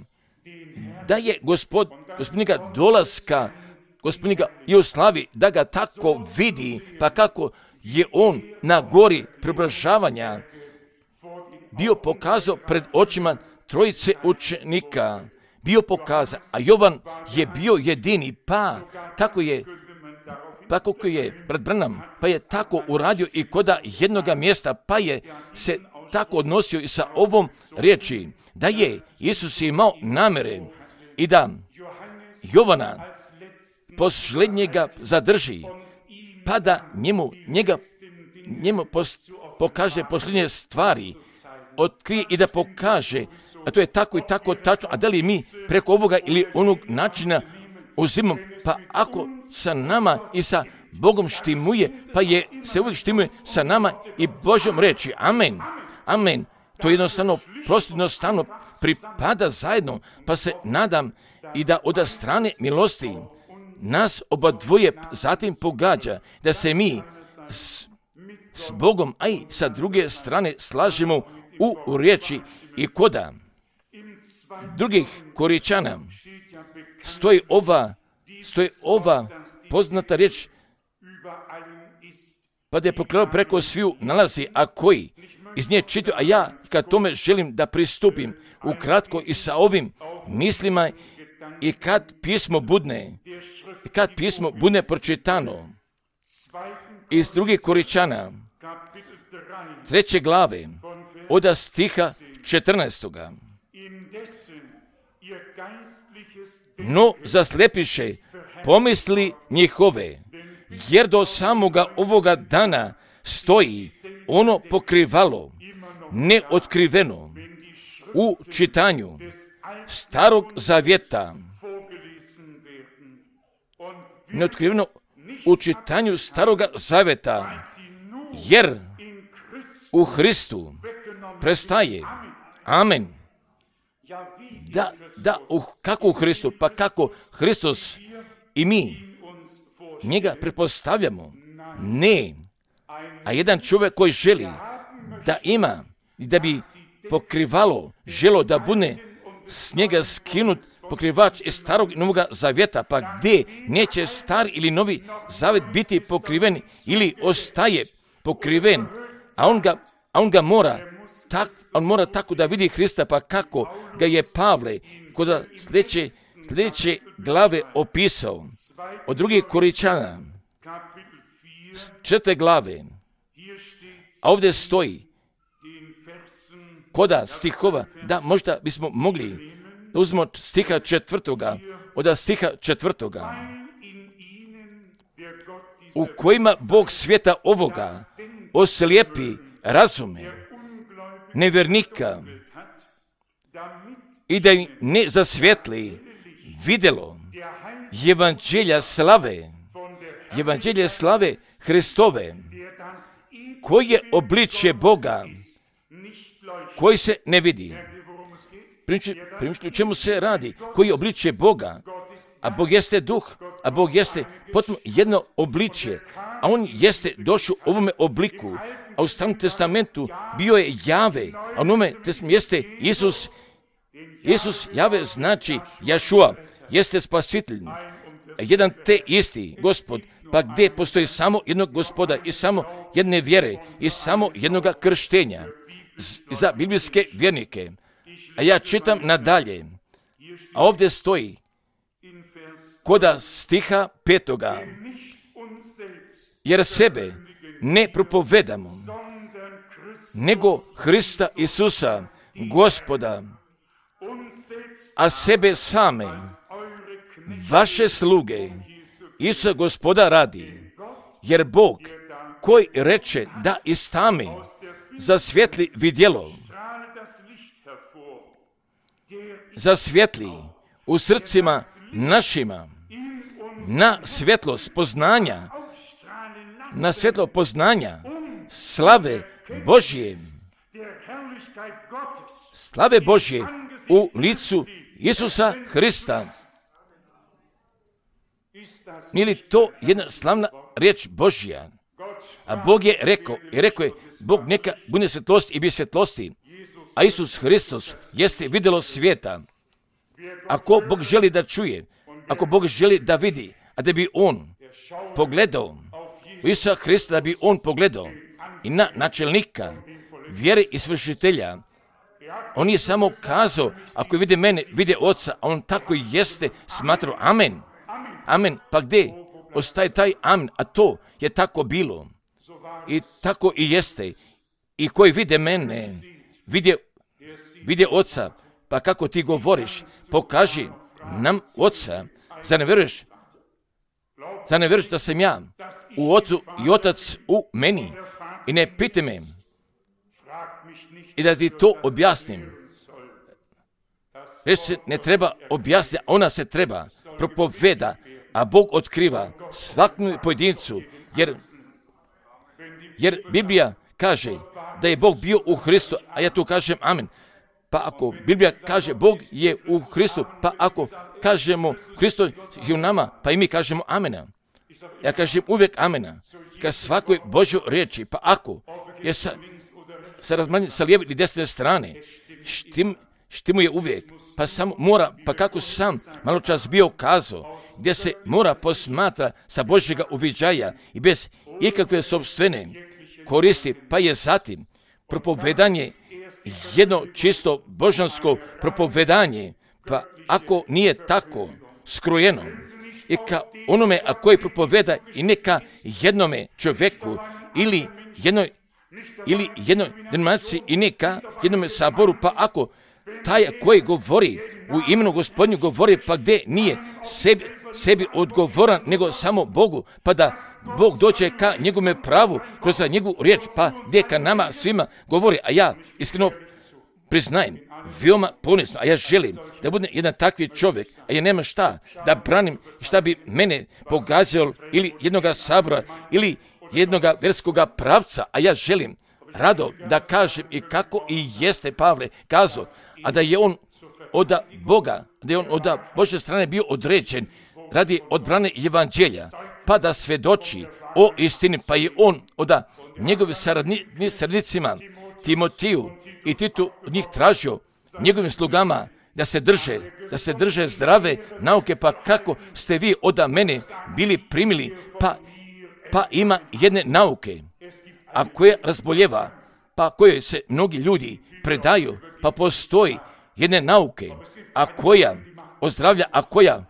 da je gospod, gospodnika dolaska, gospodnika i u slavi, da ga tako vidi, pa kako je on na gori preobražavanja bio pokazao pred očima trojice učenika, bio pokazao, a Jovan je bio jedini, pa tako je, pa kako je brat Branham, pa je tako uradio i koda jednoga mjesta, pa je se tako odnosio i sa ovom riječi, da je Isus imao namere i da Jovana posljednjega zadrži, pa da njemu, njega, njemu pos, pokaže posljednje stvari, otkrije i da pokaže, a to je tako i tako tačno, a da li mi preko ovoga ili onog načina uzimamo, pa ako sa nama i sa Bogom štimuje, pa je se uvijek štimuje sa nama i Božjom reči. Amen. Amen. To jednostavno, prosto jednostavno pripada zajedno, pa se nadam i da od strane milosti nas oba dvoje zatim pogađa, da se mi s, s Bogom, a i sa druge strane slažemo u riječi i koda drugih Koričana stoji ova, stoji ova poznata riječ, pa da je prokladao preko sviju nalazi, a koji iz nje čitaju, a ja kad tome želim da pristupim ukratko i sa ovim mislima i kad pismo budne, i kad pismo budne pročitano iz drugih Koričana, treće glave, od stiha četrnaestoga. No zaslepiše pomisli njihove, jer do samoga ovoga dana stoji ono pokrivalo, neotkriveno u čitanju Starog Zavjeta, neotkriveno u čitanju Staroga Zavjeta, jer u Hristu prestaje. Amen. Da, da, uh, kako u Hristu? Pa kako Hristos i mi njega pretpostavljamo? Ne. A jedan čovjek koji želi da ima i da bi pokrivalo, želo da bude s njega skinut pokrivač iz Starog i Novoga Zavjeta, pa gdje neće star ili Novi Zavjet biti pokriven ili ostaje pokriven, a on ga, a on ga mora tak, on mora tako da vidi Hrista, pa kako ga je Pavle kod sljedeće, sljedeće glave opisao od drugih Koričana, četvrte glave, a ovdje stoji koda stihova, da možda bismo mogli da uzmemo stiha četvrtoga, od stiha četvrtoga, u kojima Bog svijeta ovoga oslijepi razume nevjernika i da im ne zasvjetli vidjelo evanđelja slave, evanđelje slave Hristove, koji je obličje Boga, koji se ne vidi. Primičite, o čemu se radi? Koji je obličje Boga? a Bog jeste duh, a Bog jeste potom jedno obličje, a on jeste došao u ovome obliku, a u Starom testamentu bio je Jave, a u Novome testamentu jeste Isus. Isus Jave znači Jašua, jeste spasitelj, jedan te isti Gospod, pa gdje postoji samo jednog Gospoda i samo jedne vjere i samo jednoga krštenja za biblijske vjernike. A ja čitam nadalje, a ovdje stoji koda stiha petoga, jer sebe ne propovedamo, nego Hrista Isusa, Gospoda, a sebe same, vaše sluge, Isusa Gospoda radi, jer Bog koji reče da istame zasvjetli vidjelo, zasvjetli u srcima našima na svjetlost poznanja, na svjetlo poznanja slave Božje, slave Božje u licu Isusa Hrista. Nije li to jedna slavna riječ Božja? A Bog je rekao, i rekao je, Bog neka bude svjetlost i bi svjetlosti, a Isus Hristos jeste vidjelo svijeta. Ako Bog želi da čuje, ako Bog želi da vidi, a da bi on pogledao u Isusa Hrista, da bi on pogledao i na načelnika vjere i svršitelja, on je samo kazao, ako vide mene, vide Oca, a on tako i jeste smatrao. Amen. Amen. Pa gdje ostaje taj amen? A to je tako bilo. I tako i jeste. I koji vide mene, vide, vide Oca. Pa kako ti govoriš? Pokaži nam Oca. Zar ne vjeruješ? Zar ne vjeruješ da sam ja u Ocu i Otac u meni? I ne pite me. I da ti to objasnim. Reći se ne treba objasniti, ona se treba propoveda, a Bog otkriva svakom pojedincu, jer, jer Biblija kaže da je Bog bio u Hristu, a ja tu kažem amen. Pa ako Biblija kaže Bog je u Hristu, pa ako kažemo Hristo je u nama, pa i mi kažemo amena. Ja kažem uvijek amena, ka svakoj Božoj riječi, pa ako je sa, sa, razmanj, sa lijeve ili desne strane, štim, štimuje uvijek, pa sam mora, pa kako sam malo čas bio kazao, gdje se mora posmatra sa Božjega uviđaja i bez ikakve sopstvene koristi, pa je zatim propovedanje jedno čisto božansko propovedanje, pa ako nije tako skrojeno i ka onome a koji propoveda i neka jednome čovjeku ili jednoj ili jednoj denominaciji i neka jednome saboru, pa ako taj koji govori u imenu Gospodnju govori, pa gdje nije sebi, sebi odgovoran, nego samo Bogu, pa da Bog dođe ka njegove pravu kroz njegovu riječ, pa gdje ka nama svima govori, a ja iskreno priznajem, veoma ponosno, a ja želim da budem jedan takvi čovjek, a ja nemam šta da branim, šta bi mene pogazio ili jednoga sabora ili jednoga verskoga pravca, a ja želim rado da kažem i kako i jeste Pavle kazao, a da je on od Boga, da je on od Božje strane bio određen radi odbrane evanđelja, pa da svedoči o istini, pa je on od njegove saradnicima Timotiju i Titu od njih tražio njegovim slugama da se drže, da se drže zdrave nauke, pa kako ste vi od mene bili primili, pa, pa ima jedne nauke, a koja razboljeva, pa koje se mnogi ljudi predaju, pa postoji jedne nauke, a koja ozdravlja, a koja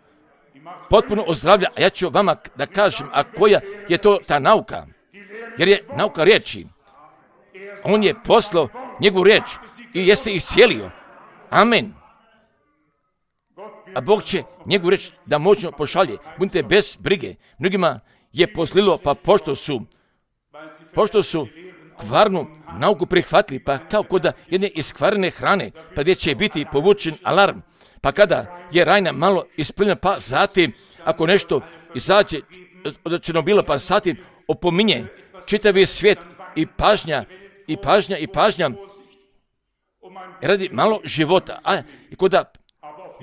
potpuno ozdravlja, a ja ću vama da kažem, a koja je to ta nauka, jer je nauka riječi. On je poslao njegovu riječ i jeste iscijelio. Amen. A Bog će njegovu riječ da moćno pošalje. Budite bez brige. Mnogima je poslilo, pa pošto su, pošto su kvarnu nauku prihvatili, pa kao kod jedne iskvarene hrane, pa gdje će biti povučen alarm, pa kada je rajna malo ispljena, pa zatim, ako nešto izađe od Černobila, pa zatim opominje čitavi svijet i pažnja, i pažnja, i pažnja, radi malo života. A i kod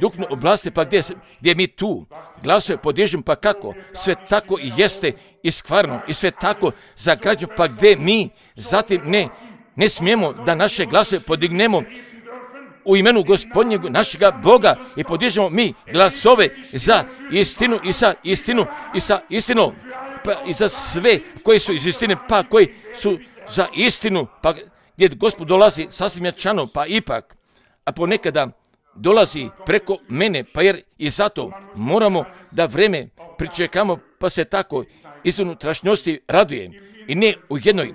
duhovne oblasti, pa gdje, gdje mi tu glasove podižemo, pa kako? Sve tako i jeste iskvarno i sve tako zagađeno, pa gdje mi zatim ne, ne smijemo da naše glasove podignemo u imenu Gospodnjeg našega Boga i podižemo mi glasove za istinu i sa istinu i sa istinom, pa i za sve koji su iz istine, pa koji su za istinu, pa gdje Gospod dolazi sasvim jačano, pa ipak, a ponekada dolazi preko mene, pa jer i zato moramo da vreme pričekamo, pa se tako iz unutrašnjosti raduje i ne u jednoj,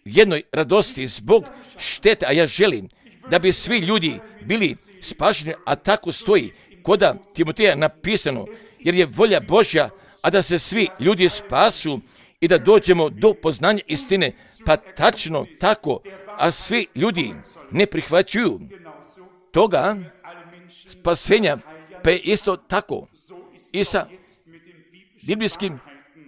jednoj radosti zbog štete, a ja želim da bi svi ljudi bili spašeni, a tako stoji koda Timoteja napisano, jer je volja Božja, a da se svi ljudi spasu i da dođemo do poznanja istine, pa tačno tako, a svi ljudi ne prihvaćuju toga spasenja, pa je isto tako i sa biblijskim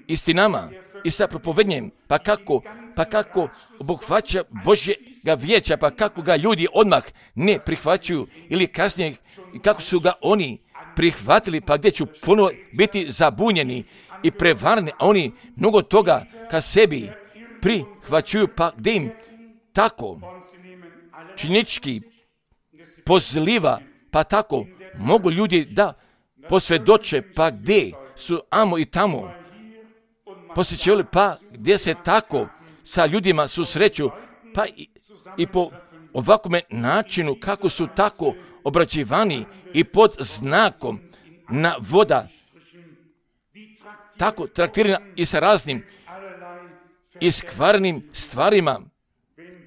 istinama i sa propovednjem, pa kako, pa kako obuhvaća Božjega vijeća, pa kako ga ljudi odmah ne prihvaćuju ili kasnije kako su ga oni prihvatili, pa gdje ću ponovo biti zabunjeni i prevarni, a oni mnogo toga ka sebi prihvaćuju, pa gdje im tako činički pozliva, pa tako mogu ljudi da posvjedoče, pa gdje su amo i tamo posjećali, pa gdje se tako sa ljudima susreću, pa i, i po ovakvom načinu kako su tako obrađivani i pod znakom na voda, tako traktirana i sa raznim iskvarnim stvarima,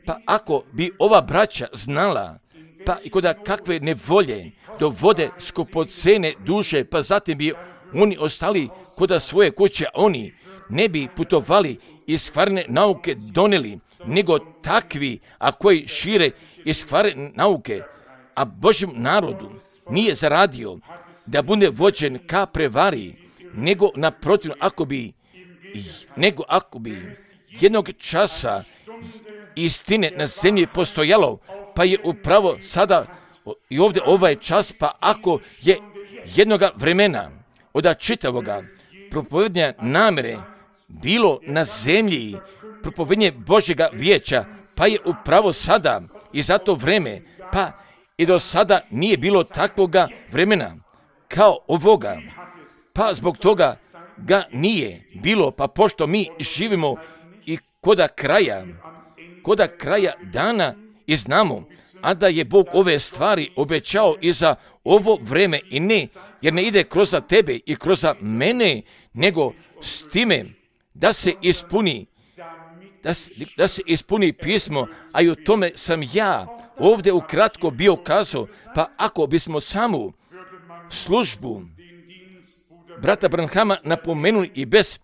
pa ako bi ova braća znala, pa i kod kakve nevolje dovode skupocene duše, pa zatim bi oni ostali kod svoje kuće, oni ne bi putovali i iskvarne nauke doneli, nego takvi, a koji šire iskvarne nauke, a Božjem narodu nije zaradio da bude vođen ka prevari, nego naprotiv, ako bi, nego ako bi jednog časa istine na zemlji postojalo, pa je upravo sada i ovdje ovaj čas, pa ako je jednoga vremena od čitavoga propovednja namere bilo na zemlji propovednje Božjega vijeća, pa je upravo sada i za to vreme, pa i do sada nije bilo takvoga vremena kao ovoga, pa zbog toga ga nije bilo, pa pošto mi živimo i koda kraja, koda kraja dana i znamo, a da je Bog ove stvari obećao i za ovo vreme i ne, jer ne ide kroz tebe i kroz mene, nego s time da se ispuni, da se, da se ispuni pismo, a i o tome sam ja ovdje ukratko bio kazao, pa ako bismo samu službu brata Branhama napomenuli i bez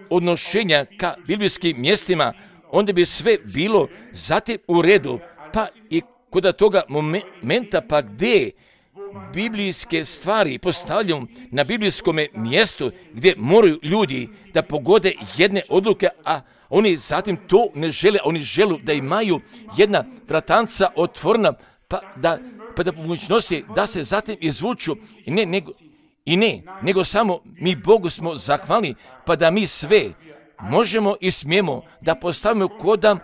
odnošenja ka biblijskim mjestima, onda bi sve bilo zatim u redu, pa i kod toga momenta, pa gdje biblijske stvari postavljaju na biblijskom mjestu, gdje moraju ljudi da pogode jedne odluke, a oni zatim to ne žele, oni žele da imaju jedna vratanca otvorena, pa da, pa da po mogućnosti da se zatim izvuču i ne, nego, i ne, nego samo mi Bogu smo zahvalni, pa da mi sve možemo i smijemo da postavimo koda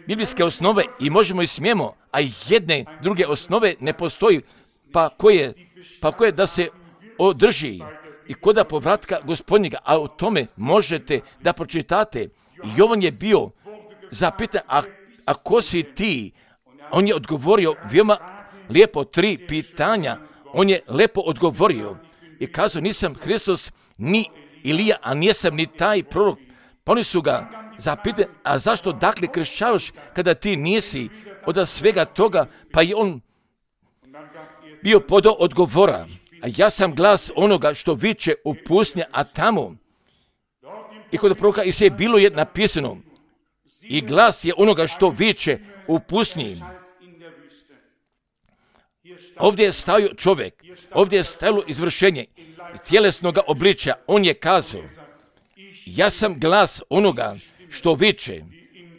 biblijske osnove i možemo i smijemo, a jedne druge osnove ne postoji, pa koje, pa koje da se održi i koda povratka Gospodnjega, a o tome možete da pročitate. Jovan je bio zapitan, a, a ko si ti? On je odgovorio veoma lijepo tri pitanja, on je lijepo odgovorio i kazao, nisam Hristos ni Ilija, a nisam ni taj prorok. Pa oni su ga zapitali, a zašto dakle kršćavaš kada ti nisi od svega toga? Pa je on bio podo odgovora, a ja sam glas onoga što viče u pustinji, a tamo i kod proroka Isaije bilo je napisano, i glas je onoga što viče u pustinji. Ovdje je stajao čovjek, ovdje je stajalo izvršenje tjelesnog obličja. On je kazao, ja sam glas onoga što viče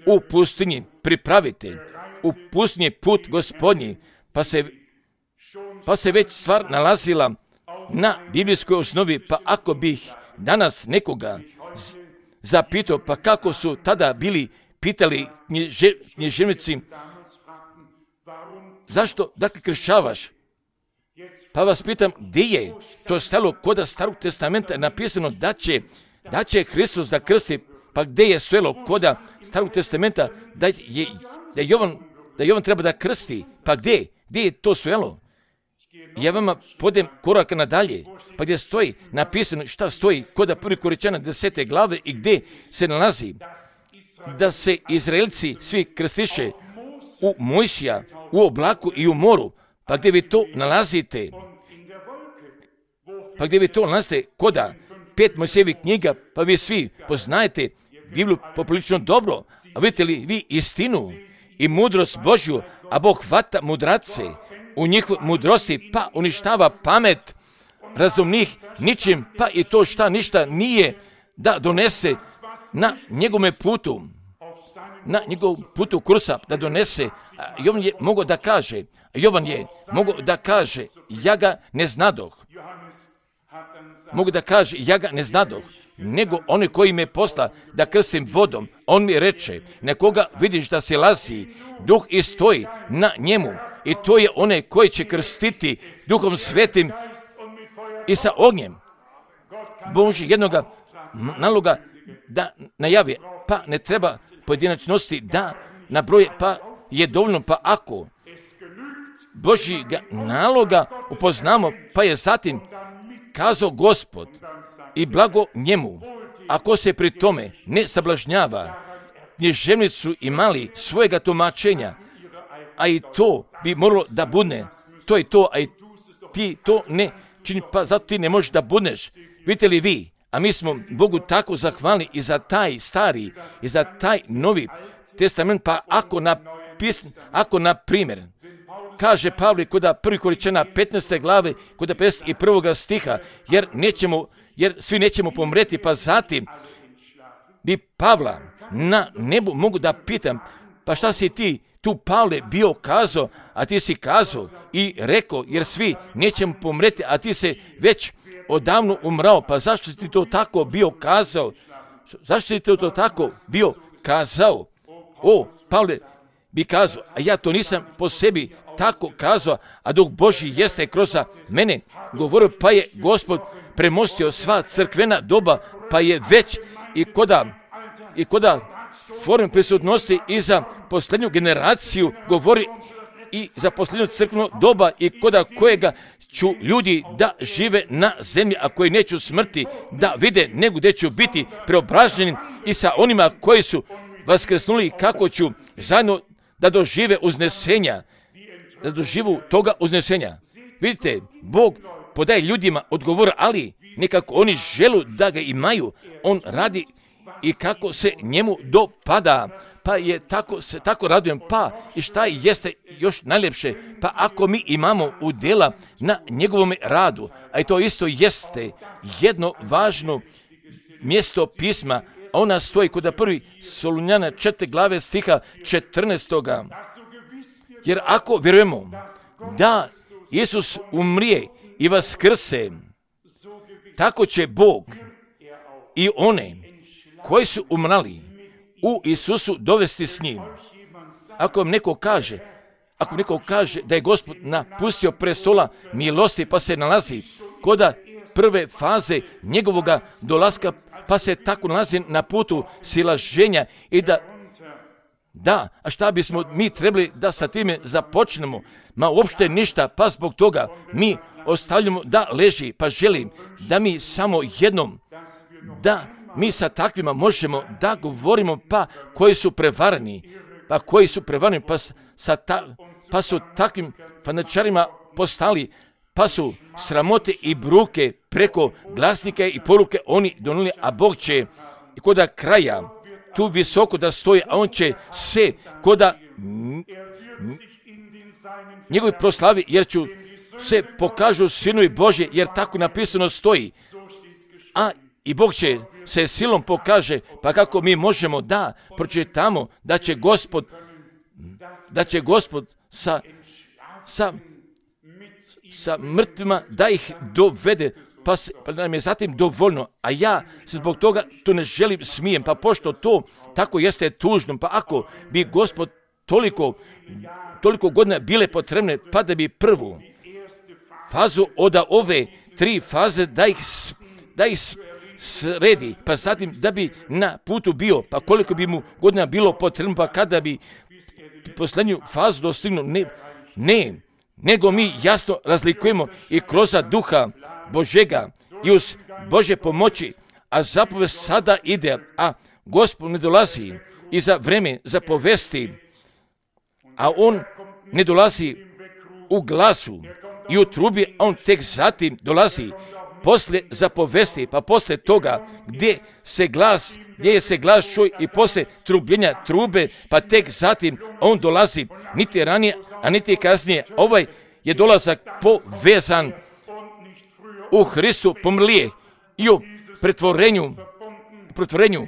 u pustinji, pripravite u pustinji put Gospodnji, pa se pa se već stvar nalazila na biblijskoj osnovi, pa ako bih danas nekoga zapitao, pa kako su tada bili pitali knjiže, književnici, zašto, dakle, kršćavaš? Pa vas pitam, gdje je to stalo kod Starog testamenta napisano da će, da će Hristos da krsti, pa gdje je stojalo kod Starog testamenta da je, da Jovan, da Jovan treba da krsti, pa gdje, gdje je to stojalo? Ja vama podem korak nadalje, pa gdje stoji napisano šta stoji kod prvi Korinćana desete glave i gdje se nalazi da se Izraelci svi krstiše u Mojsija, u oblaku i u moru. Pa gdje vi to nalazite? Pa gdje vi to nalazite? Koda pet Mojsijevih knjiga, pa vi svi poznajete Bibliju poprilično dobro. A vidite li vi istinu i mudrost Božju, a Bog hvata mudrace u njihovoj mudrosti, pa uništava pamet razumnih ničim, pa i to šta ništa nije da donese na njegome putu, na njegovom putu kursa da donese. Jovan je mogao da kaže, Jovan je mogao da kaže, ja ga ne znadoh. Mogu da kaže, ja ga ne znadoh, nego oni koji me posla da krstim vodom, on mi reče, nekoga vidiš da se lazi, duh i stoji na njemu, i to je onaj koji će krstiti Duhom Svetim i sa ognjem. Bože jednoga naloga da najavi, pa ne treba pojedinačnosti da nabroje, pa je dovoljno, pa ako Božjega naloga upoznamo, pa je zatim kazao Gospod i blago njemu, ako se pri tome ne sablažnjava, književnici su imali svojega tumačenja, a i to bi moralo da bude, to je to, a i ti to ne čini, pa zato ti ne možeš da budeš. Vidite li vi, a mi smo Bogu tako zahvalni i za taj stari i za taj novi testament, pa ako na, pis, ako na primjer, kaže Pavle kod prvi Korinćana petnaeste glave, kod pedeset prvog stiha, jer nećemo, jer svi nećemo pomreti, pa zatim bi Pavla na nebu mogu da pitam, pa šta si ti tu, Pavle, bio kazao, a ti si kazao i rekao, jer svi nećemo pomreti, a ti se već odavno umrao, pa zašto si ti to tako bio kazao? Zašto si ti to tako bio kazao? O, Pavle bi kazao, a ja to nisam po sebi tako kazao, a Duh Božji jeste kroz mene govorio, pa je Gospod premostio sva crkvena doba, pa je već i koda, i koda forme prisutnosti i za posljednju generaciju govori i za posljednju crkvenu doba i koda kojega ću ljudi da žive na zemlji, a koji neću smrti da vide, nego gdje ću biti preobraženi i sa onima koji su vaskrsnuli, kako ću zajedno da dožive uznesenja, da doživu toga uznesenja. Vidite, Bog podaje ljudima odgovor, ali nekako oni žele da ga imaju, on radi i kako se njemu dopada, pa je tako se tako radujem, pa i šta jeste još najljepše, pa ako mi imamo udjela na njegovom radu, a i to isto jeste jedno važno mjesto pisma, a ona stoji kod prvi Solunjana četiri glave stiha četrnaestoga. Jer ako vjerujemo da Isus umrije i vaskrse, tako će Bog i one koji su umrali u Isusu dovesti s njim. Ako vam neko kaže, ako neko kaže da je Gospod napustio prestola milosti, pa se nalazi kod prve faze njegovoga dolaska, pa se tako nalazi na putu silaženja i da Da, a šta bismo mi trebali da sa time započnemo? Ma uopšte ništa, pa zbog toga mi ostavljamo da leži, pa želim da mi samo jednom, da mi sa takvima možemo da govorimo, pa koji su prevarani, pa koji su prevarani, pa, sa ta, pa su takvim fanačarima postali, pa su sramote i bruke preko glasnika i poruke oni donuli, a Bog će i koda kraja tu visoko da stoji, a on će se koda njegovi proslavi, jer ću se pokažu sinovi Božje, jer tako napisano stoji. A i Bog će se silom pokaže, pa kako mi možemo da pročitamo da će Gospod, da će Gospod sa, sa, sa mrtvima da ih dovede, pa, se, pa nam je zatim dovoljno, a ja se zbog toga to ne želim smijem, pa pošto to tako jeste tužno, pa ako bi Gospod toliko, toliko godina bile potrebne, pa da bi prvu fazu od ove tri faze da ih, da ih sredi, pa zatim da bi na putu bio, pa koliko bi mu godina bilo potrebno, pa kada bi posljednju fazu dostignu, ne, ne, nego mi jasno razlikujemo i kroz duha Božega i uz Bože pomoći, a zapovest sada ide, a Gospod ne dolazi i za vreme zapovesti, a on ne dolazi u glasu i u trubi, a on tek zatim dolazi poslije zapovesti, pa poslije toga gdje se glas, gdje je se glas čuj i poslije trubljenja trube, pa tek zatim on dolazi, niti ranije, a niti kasnije. Ovaj je dolazak povezan u Hristu pomrlije i u pretvorenju, pretvorenju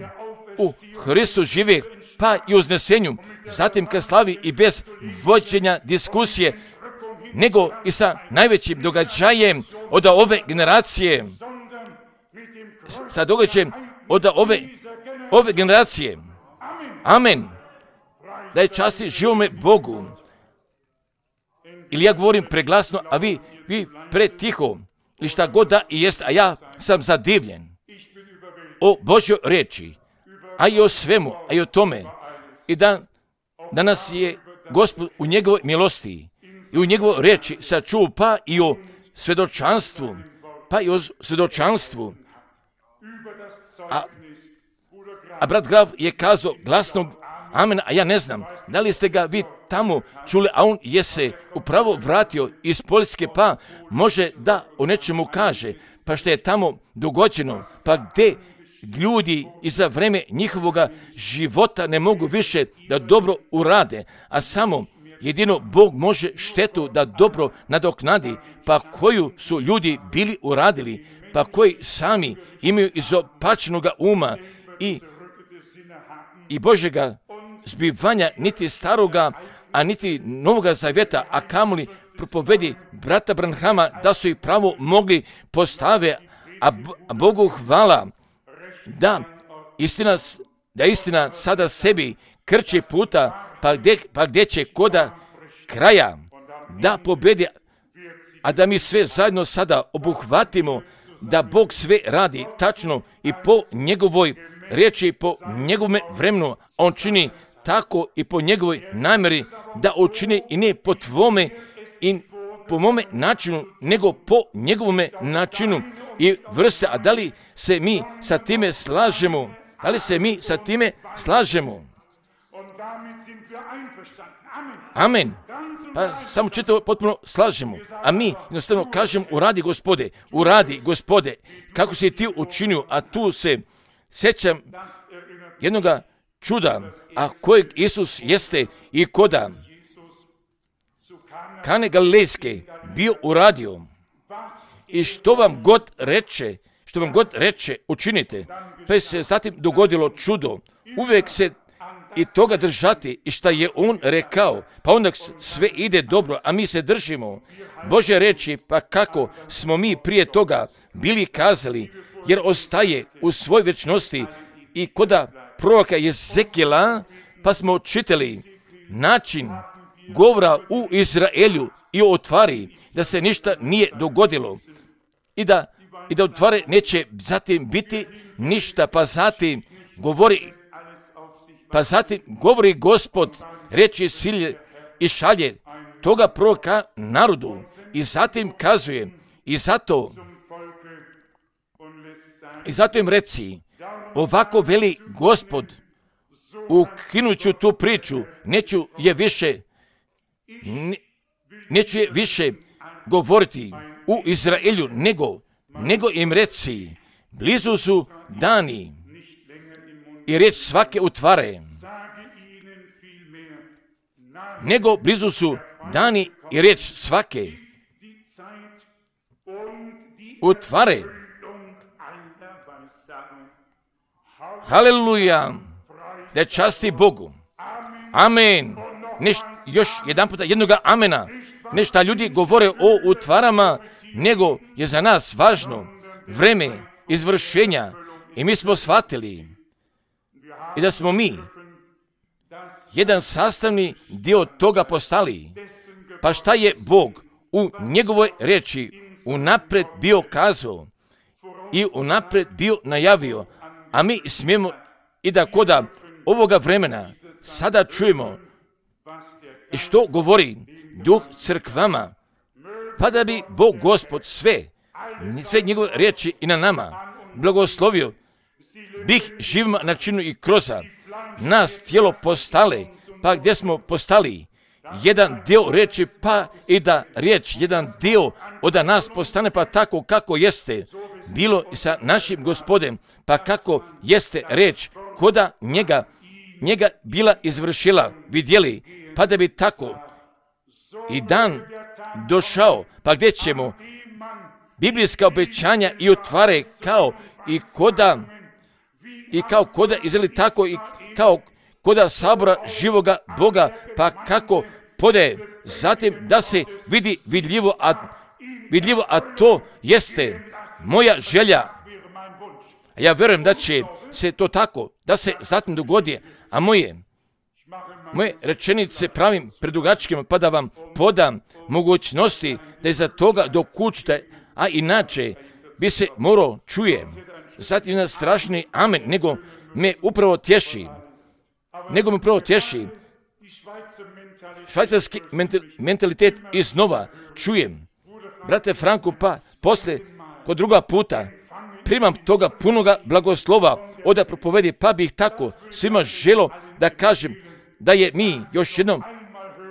u Hristu žive, pa i uznesenju, zatim kad slavi i bez vođenja diskusije, nego i sa najvećim događajem od ove generacije, sa događajem od ove, ove generacije. Amen. Da je časti živome Bogu. Ili ja govorim preglasno, a vi, vi pretiho, ili šta god da i jest, a ja sam zadivljen o Božjoj riječi, a i o svemu, a i o tome. I da danas je Gospod u njegovoj milosti i u njegovoj riječi sačuva, pa i o svjedočanstvu, pa i o svjedočanstvu. A, a brat Graf je kazao glasno amen, a ja ne znam, da li ste ga vi tamo čuli, a on je se upravo vratio iz Poljske, pa može da o nečemu kaže, pa što je tamo dogođeno, pa gdje ljudi i za vreme njihovoga života ne mogu više da dobro urade, a samo jedino Bog može štetu da dobro nadoknadi, pa koju su ljudi bili uradili, pa koji sami imaju izopačenoga uma i, i Božjega zbivanja, niti staroga, a niti novoga zavjeta, a kamoli propovedi brata Branhama da su ih pravo mogli postave, a Bogu hvala da istina, da istina sada sebi krče puta, pa gdje, pa gdje će koda kraja da pobedi, a da mi sve zajedno sada obuhvatimo da Bog sve radi tačno i po njegovoj riječi, po njegovom vremenu. On čini tako i po njegovoj namjeri da učini i ne po tvome i po mome načinu, nego po njegovome načinu i vrste. A da li se mi sa time slažemo? Da li se mi sa time slažemo? Amen. Pa samo čitavo potpuno slažemo. A mi jednostavno kažemo uradi Gospode, uradi Gospode, kako si ti učinio, a tu se sjećam jednoga čuda, a kojeg Isus jeste i koda Kane Galilejske bio uradio. I što vam god reče, što vam god reče, učinite. Pa se zatim dogodilo čudo. Uvijek se i toga držati i šta je on rekao, pa onda sve ide dobro, a mi se držimo Božje reči, pa kako smo mi prije toga bili kazali, jer ostaje u svoj vječnosti i koda proroka Jezekijela, pa smo čitali način govora u Izraelju i o otvari, da se ništa nije dogodilo i da, i da otvare neće zatim biti ništa, pa zatim govori Pa zatim govori Gospod, reči silje i šalje toga proroka narodu i zatim kazuje i zato i zato im reci, ovako veli Gospod, ukinuću tu priču, neću je više ne, neću je više govoriti u Izraelju, nego, nego im reci, blizu su dani i riječ svake utvare, nego blizu su dani i riječ svake utvare. Haleluja, da časti Bogu. Amen. Neš, još jedan puta jednoga amena. ne šta ljudi govore o utvarama, nego je za nas važno vreme izvršenja i mi smo shvatili i da smo mi jedan sastavni dio toga postali. Pa šta je Bog u njegovoj riječi unaprijed bio kazao i unaprijed bio najavio, a mi smijemo i da koda ovoga vremena sada čujemo i što govori Duh crkvama, pa da bi Bog Gospod sve, sve njegove riječi i na nama blagoslovio, bih živima načinu i kroza nas tijelo postale, pa gdje smo postali jedan dio riječi, pa i da riječ, jedan dio od nas postane pa tako kako jeste bilo i sa našim Gospodem, pa kako jeste riječ koda njega, njega bila izvršila, vidjeli, pa da bi tako i dan došao, pa gdje ćemo biblijska obećanja i otvare kao i koda i kao koda izveli tako i kao koda sabora živoga Boga, pa kako podaje, zatim da se vidi vidljivo, a, vidljivo, a to jeste moja želja. Ja vjerujem da će se to tako, da se zatim dogodi, a moje, moje rečenice pravim predugačkim, pa da vam podam mogućnosti da iza toga dokučite, a inače bi se morao čuje. Zatim na strašni amen, nego me upravo tješi, nego me upravo tješi švajcarski mentalitet iznova čujem. Brate Franku, pa poslije kod druga puta primam toga punoga blagoslova oda propovedi, pa bih tako svima želo da kažem da je mi još jednom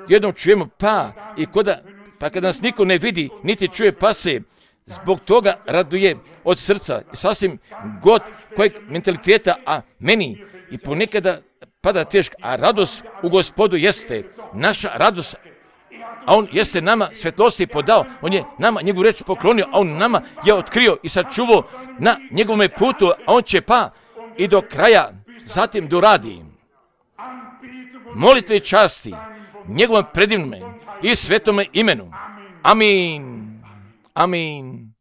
jednom čujemo, pa i koda, pa kad nas niko ne vidi niti čuje, pa se zbog toga raduje od srca i sasvim god kojeg mentaliteta, a meni i ponekada pada teško, a radost u Gospodu jeste naša radost, a on jeste nama svjetlosti podao, on je nama njegovu reč poklonio, a on nama je otkrio i sačuvao na njegovome putu, a on će pa i do kraja zatim doradi. Molitve i časti njegovom predivnome i svetome imenu. Amin. Amin.